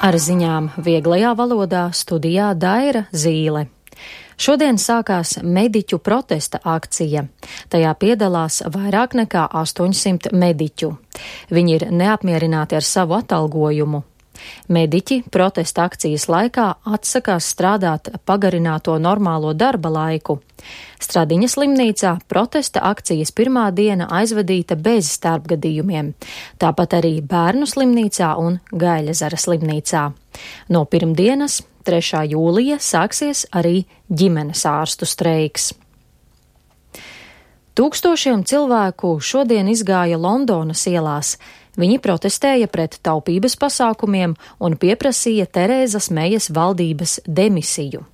Ar ziņām vieglajā valodā studijā Daira Zīle. Šodien sākās mediķu protesta akcija. Tajā piedalās vairāk nekā 800 mediķu. Viņi ir neapmierināti ar savu atalgojumu. Mediķi protesta akcijas laikā atsakās strādāt pagarināto normālo darba laiku. Stradiņas slimnīcā protesta akcijas pirmā diena aizvadīta bez starpgadījumiem, tāpat arī Bērnu slimnīcā un Gaiļezera slimnīcā. No pirmdienas, 3. jūlija, sāksies arī ģimenes ārstu streiks. Tūkstošiem cilvēku šodien izgāja Londonas ielās. Viņi protestēja pret taupības pasākumiem un pieprasīja Terēzas Mejas valdības demisiju.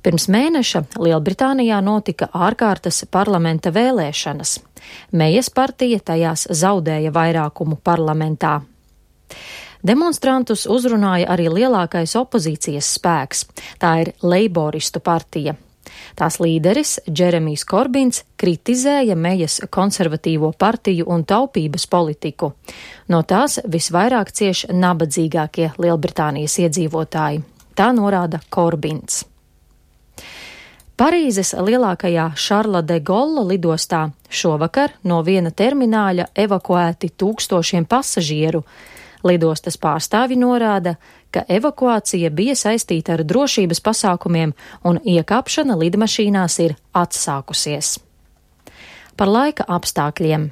Pirms mēneša Lielbritānijā notika ārkārtas parlamenta vēlēšanas. Mejas partija tajās zaudēja vairākumu parlamentā. Demonstrantus uzrunāja arī lielākais opozīcijas spēks. Tā ir Leiboristu partija. Tās līderis Džeremijs Korbins kritizēja Mejas konservatīvo partiju un taupības politiku. No tās visvairāk cieš nabadzīgākie Lielbritānijas iedzīvotāji. Tā norāda Korbins. Parīzes lielākajā Šarla de Golla lidostā šovakar no viena termināļa evakuēti tūkstošiem pasažieru. Lidostas pārstāvi norāda, ka evakuācija bija saistīta ar drošības pasākumiem un iekāpšana lidmašīnās ir atsākusies. Par laika apstākļiem.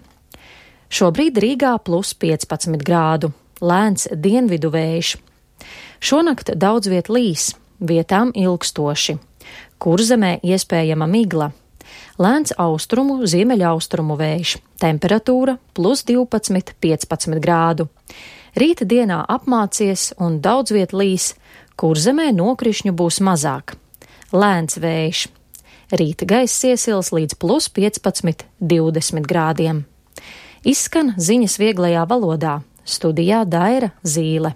Šobrīd Rīgā +15 grādu, lēns dienvidu vējš. Šonakt daudz viet līs, vietām ilgstoši. Kurzemē iespējama migla. Lēns austrumu, ziemeļaustrumu vējš, temperatūra +12–15 grādu. Rīta dienā apmācies un daudz viet līs, Kurzemē nokrišņu būs mazāk. Lēns vējš. Rīta gaiss iesils līdz +15–20 grādiem. Izskan ziņas vieglajā valodā. Studijā Daira Zīle.